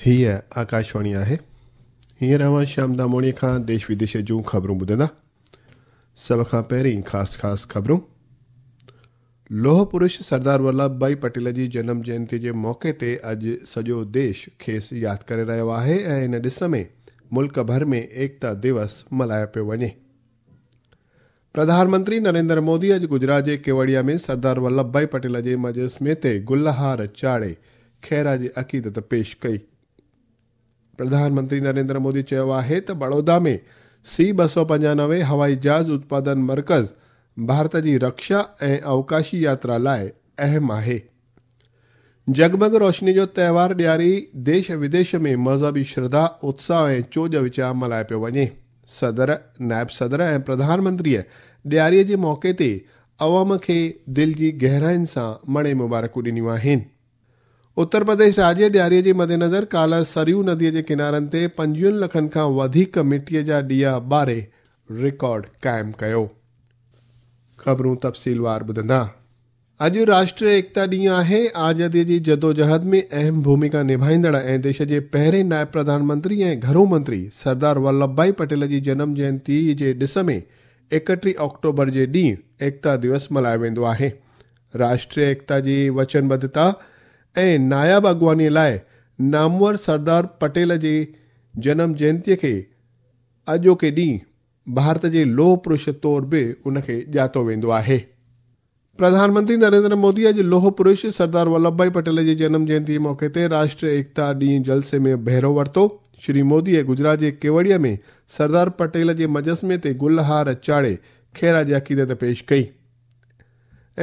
هيء آڪاشواڻي آهي. هينئر اوهان شيام داموڻيء کان ديش وديش جون خبرون ٻڌندا. سڀ کان پهرين خاص خاص خبرون. لوهه پرش سردار ولڀ ڀائي پٽيل جي جنم جينتي جي موقعي تي اڄ سڄو ديش کيس ياد ڪري رهيو آهي ۽ ان ڏس ۾ ملڪ ڀر ۾ ايڪتا ديوس ملهايو پيو وڃي. پرڌان منتري نريندر مودي اڄ گجرات جي ڪيوڙيا ۾ سردار ولڀ ڀائي پٽيل جي مجسمي تي گل هار چاڙهي خراج عقيدت پيش ڪئي. پرڌان منتري نريندر مودي چيو آهي ته بڙودا ۾ سي 295 هوائي جهاز اتپادن مرڪز ڀارت جي رڪشا ۽ اوڪاشي ياترا لاء اهم آهي. جڳمڳ روشني جو تهوار ڏياري ديش وديش ۾ مذهبي شرڌا، اتساهه ۽ چوڄ وچان ملهايو پيو وڃي. صدر، نائب صدر ۽ پرڌان منتريء ڏياريء جي موقعي تي عوام کي دل جي گهراين سان مڙئي مبارڪون ڏنيون آهن. اتر پرديش راجيه ڏياريء جي مدنظر ڪالهه سريو نديء جي ڪنارن تي 25 لکن کان وڌيڪ مٽيء جا ڏيئا ٻاري رڪارڊ قائم ڪيو. خبرون تفصيلوار ٻڌندا. اڄ راشٽريه ايڪتا ڏينهن آهي. آزاديء جي جدوجهد ۾ اهم ڀوميڪا نڀائيندڙ ۽ ديش جي پهرين نائب پرڌان منتري ۽ گهرو منتري سردار ولڀ ڀائي پٽيل جي جنم جينتي جي ڏس ۾ 31 آڪٽوبر جي ڏينهن ايڪتا ديوس ملهايو ويندو آهي. راشٽريه ايڪتا جي وچنبڌتا ۽ ناياب اڳواڻيء لاء نامور سردار پٽيل جي جنم جينتيء کي اڄوڪي ڏينهن ڀارت جي لوهه پرش طور به ان کي ڄاتو ويندو آهي. پرڌان منتري نريندر مودي اڄ لوهه پرش سردار ولڀ ڀائي پٽيل جي جنم جينتي جي موقعي تي راشٽريه ايڪتا ڏينهن جلسي ۾ بهرو ورتو. شري موديء گجرات جي ڪيوڙيا ۾ سردار پٽيل جي مجسمي تي گل هار چاڙهي خراج عقيدت پيش ڪئي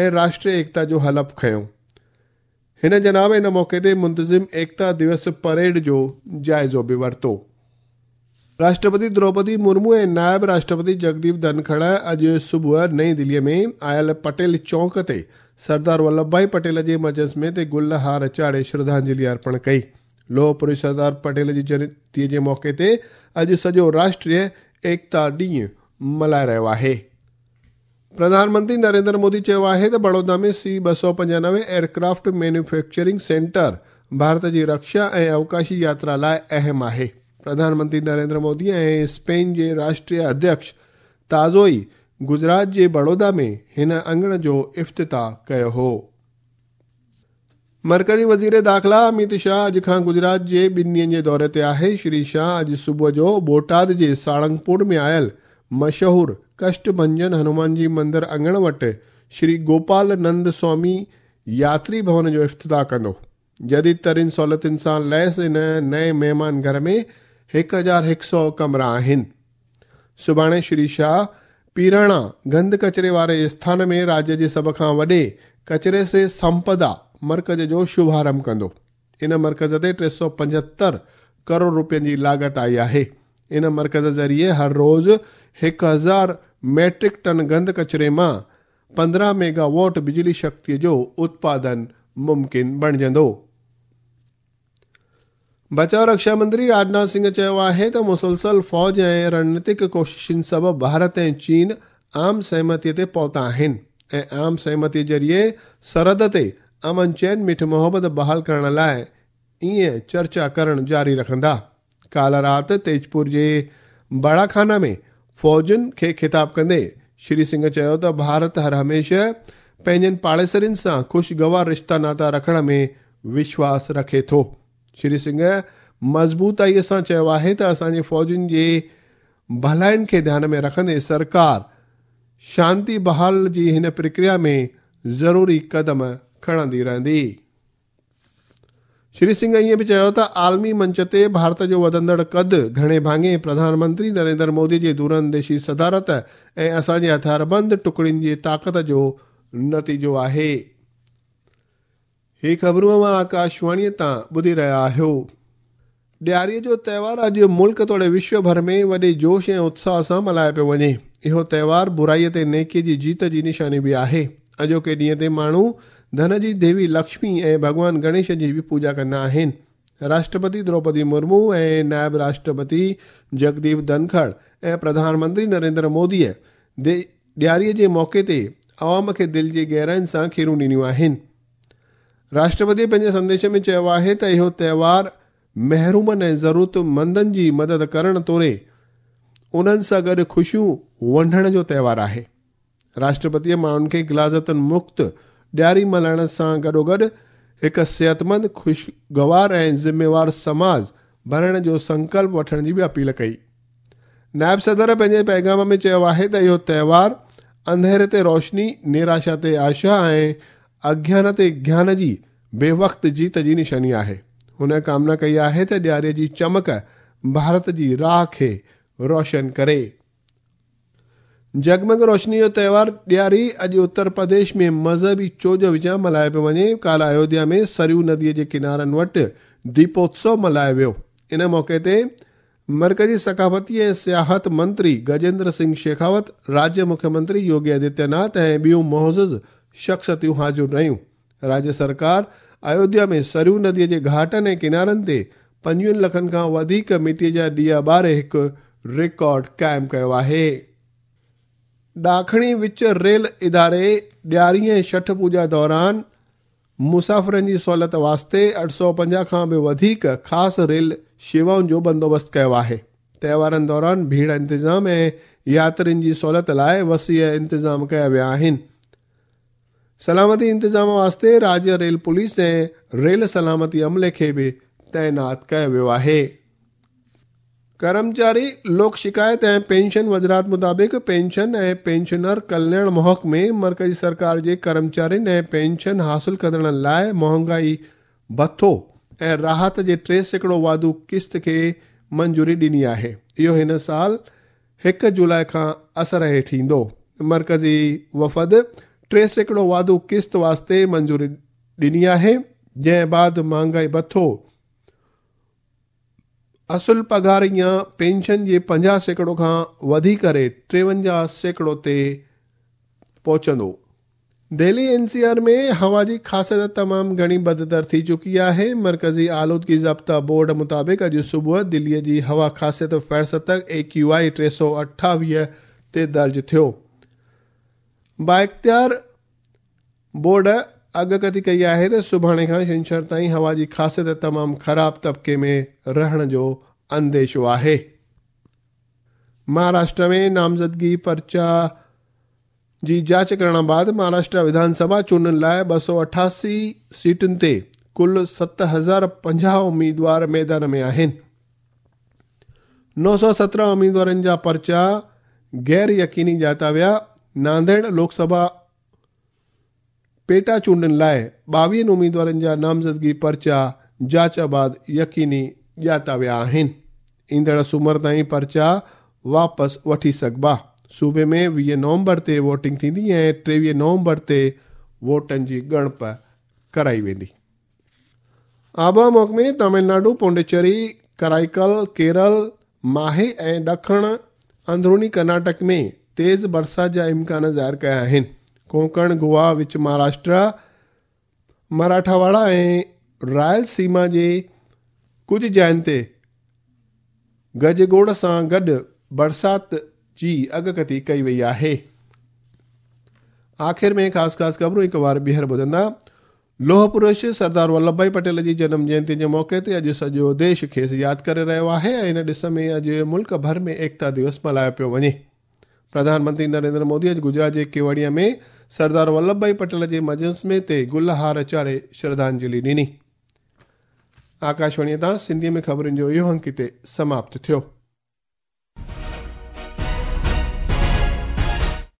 ۽ راشٽريه ايڪتا جو حلف کنيو. هن جناب ان موقعي تي منتظم ايڪتا ديوس پريڊ جو جائزو به ورتو. راشٽرپتي دروپدي مرمو ۽ نائب راشٽرپتي جگديپ ڌنکڙ اڄ صبح نئين دهليء ۾ آيل پٽيل چونڪ تي سردار ولڀ ڀائي پٽيل جي مجسمي تي گل هار چاڙهي شرڌانجلي ارپڻ ڪئي. لوهه پرش سردار پٽيل جي جينتيء جي موقعي تي اڄ سڄو راشٽريه ايڪتا ڏينهن ملهائي رهيو آهي. پرڌان منتري نريندر مودي چيو آهي ته بڙودا ۾ سي 295 ايئرڪرافٽ مينوفيڪچرنگ سينٽر ڀارت جي رڪشا ۽ اوڪاشي ياترا لاء اهم آهي. پرڌان منتري نريندر مودي ۽ اسپين جي راشٽريه اڌيڪش تازو ئي گجرات جي بڙودا ۾ هن اڱڻ جو افتتاح ڪيو هو. مرڪزي وزير داخلا اميت شاهه اڄ کان گجرات جي ٻن ڏينهن جي دوري تي آهي. شري شاهه اڄ صبح جو بوٽاد جي ساڙنگپور ۾ آيل مشهور ڪشٽ ڀنجن هنومان جي مندر اڱڻ وٽ شري گوپال نند سوامي ياتري ڀون جو افتتاح ڪندو. جديد ترين سهولتن سان ليس ان نئين مهمان گهر ۾ 1100 ڪمرا آهن. سڀاڻي شري شاهه پيراڻا گند ڪچري واري اسٿان ۾ راجيه جي سڀ کان وڏي ڪچري سي سمپدا مرڪز جو شڀارنڀ ڪندو. ان مرڪز تي 375 ڪروڙ روپين جي لاڳت آئي آهي. ان مرڪز ذريعي هر روز 1000 ميٽرڪ ٽن گند ڪچري مان 15 ميگا واٽ بجلي شڪتيء جو اتپادن ممڪن بڻجندو. بچاء رڪشا منتري راجناٿ سنگهه چيو آهي ته مسلسل فوج ۽ رڻنيتڪ ڪوششن سبب ڀارت ۽ چين عام سهمتي تي پهتا آهن ۽ عام سهمتي ذريعي سرحد تي امن چين مٺ محبت بحال ڪرڻ لاء ائين چرچا ڪرڻ جاري رکندا. ڪالهه رات تيجپور جي باڙاخانا ۾ فوجن کي خطاب ڪندي شري سنگهه چيو ته ڀارت هر هميشه پنهنجن پاڙيسرين سان خوشگوار رشتا ناتا رکڻ ۾ وشواس رکي ٿو. شري سنگهه مضبوطائيء سان چيو آهي ته اسان جي فوجين جي ڀلائين کي ڌيان ۾ رکندي سرڪار شانتي بحال جي هن پرڪريا ۾ ضروري قدم کڻندي رهندي. شري سنگهه ائين به چيو ته عالمي منچ تي ڀارت جو وڌندڙ قد گهڻي ڀاڱي پرڌان منتري نريندر مودي جي دورانديشي صدارت ۽ اسان جي هٿياربند ٽڪڙين جي طاقت جو نتيجو آهي. هي خبرون اوهان آڪاشواڻيء تان ٻڌي رهيا آهيو. ڏياريء جو تهوار اڄ ملڪ توڙي وشو ڀر ۾ وڏي جوش ۽ اتساهه سان ملهايو پيو وڃي. اهو تهوار برائيء تي نيڪيء جي جيت جي نشاني به آهي. اڄوڪي ڏينهن تي ماڻهو ڌن جي ديوي لڪشمي ۽ ڀڳوان گڻيش جي به پوڄا ڪندا آهن. راشٽرپتي دروپدي مرمو ۽ نائب راشٽرپتي جگديپ ڌنکڙ ۽ پرڌان منتري نريندر موديء ڏياريء جي موقعي تي عوام کي دل جي گهراين سان کيرون ڏنيون آهن. راشٽرپتي پنهنجي سنديش ۾ چيو آهي ته اهو تهوار محرومن ۽ ضرورتمندن جي مدد ڪرڻ توڙي انهن سان گڏ خوشيون ونڊڻ جو تهوار آهي. راشٽرپتيء ماڻهن کي غلاظتن مڪت ڏياري ملهائڻ سان گڏوگڏ هڪ صحتمند، خوشگوار ۽ ذميوار سماج بڻائڻ جو سنڪلپ وٺڻ جي به اپيل ڪئي. نائب صدر پنهنجي پيغام ۾ چيو آهي ته اهو تهوار انڌيري تي روشني، نراشا تي آشا ۽ اگيان تي گيان جي بي وقت جيت جي نشاني آهي. هن ڪامنا ڪئي آهي ته ڏياريء جي چمڪ ڀارت جي راهه کي روشن ڪري. جڳمڳ روشني جو تهوار ڏياري اڄ اتر پرديش ۾ مذهبي چوڄ وچان ملهايو پيو وڃي. ڪالهه ايوڌيا ۾ سريو نديء جي ڪنارن وٽ ديپوتسو ملهايو ويو. ان موقعي تي مرڪزي ثقافتي ۽ سياحت منتري گجيندر سنگهه شيخاوت، راجيه مکيه منتري يوگي آدتيه ناٿ ۽ ٻيون معزز شخصيتون حاضر رهيون. راجيه سرڪار ايوڌيا ۾ سريو نديء جي گهاٽن ۽ ڪنارن تي 25 لکن کان وڌيڪ مٽيء جا ڏيئا ٻاري هڪ رڪارڊ قائم ڪيو آهي. ڏاکڻي وچ ريل اداري ڏياري ۽ ڇٺ پوڄا دوران مسافرن جي سهولت واسطي 850 کان به وڌيڪ خاص ريل شيوائن جو بندوبست ڪيو آهي. تهوارن دوران ڀيڙ انتظام ۽ ياترين جي سهولت لاء وسيع انتظام ڪيا ويا آهن. سلامتي انتظام واسطي راجيه ريل پوليس ۽ ريل سلامتي عملي کي به تعينات ڪيو ويو آهي. ڪرمچاري لوڪ شڪايت ۽ پينشن وزارت مطابق پينشن ۽ پينشنر ڪلياڻ محڪمي مرڪزي سرڪار جي ڪرمچارين ۽ پينشن حاصل ڪندڙن لاء مهانگائي ڀٿو ۽ راحت جي 3% واڌو قسط کي منظوري ڏني آهي. اهو هن سال 1 جولاء کان اثر هيٺ ايندو. مرڪزي وفد 3% واڌو قسط واسطي منظوري ڏني آهي، جنهن بعد مهانگائي ڀٿو اصل پگهار يا پينشن جي 50% کان وڌي ڪري 53% تي پهچندو. دهلي اين سي آر ۾ هوا جي خاصيت تمام گهڻي بدتر ٿي چڪي آهي. مرڪزي آلودگي ضابطا بورڊ مطابق اڄ صبح دهلي جي هوا خاصيت فهرست اي ڪيو آء 328 تي درج ٿيو. بااختيار بورڊ اڳڪٿي ڪئي آهي ته سڀاڻي کان ڇنڇر تائين هوا جي خاصيت تمام خراب طبقي ۾ رهڻ جو انديشو آهي. مهاراشٽر ۾ نامزدگي پرچا جي جاچ ڪرڻ بعد مهاراشٽر وڌان سڀا چونڊن لاء 288 سيٽن تي ڪل 7050 اميدوار ميدان ۾ آهن. 917 اميدوارن جا پرچا غير يقيني ڄاتا ويا. نانديڙ لوڪ سڀا پيٽا چونڊن لاء 22 اميدوارن جا نامزدگي پرچا جاچ بعد يقيني ڄاتا ويا آهن. ايندڙ سومر تائين پرچا واپس وٺي سگهبا. صوبي ۾ 20 نومبر تي ووٽنگ ٿيندي ۽ 23 نومبر تي ووٽن جي ڳڻپ ڪرائي ويندي. آبهوا محڪمي تامل ناڊو، پونڊيچيري، ڪرائيڪل، ڪيرل، ماهي ۽ ڏکڻ اندروني ڪرناٽڪ ۾ تيز برسات جا امڪان ظاهر ڪيا آهن. ڪونڪڻ، گوا، وچ مهاراشٽرا، مراٺاواڙا ۽ رائل سيما جي ڪجهه جاين تي گجگوڙ سان گڏ برسات جي اڳڪٿي ڪئي وئي آهي. آخر ۾ خاص خاص خبرون هڪ وار ٻيهر ٻڌندا. لوهه پرش سردار ولڀ ڀائي پٽيل جي جنم جينتي جي موقعي تي اڄ سڄو ديش کيس ياد ڪري رهيو آهي ۽ ان ڏس ۾ اڄ ملڪ ڀر ۾ ايڪتا ديوس ملهايو پيو وڃي. پرڌان منتري نريندر مودي اڄ گجرات جي ڪيوڙيا ۾ سردار ولڀ ڀائي پٽيل جي مجسمي تي گل هار چاڙهي شرڌانجلي ڏني. آڪاشواڻي تان سنڌي ۾ خبرن جو اهو انڪ هتي سماپت ٿيو.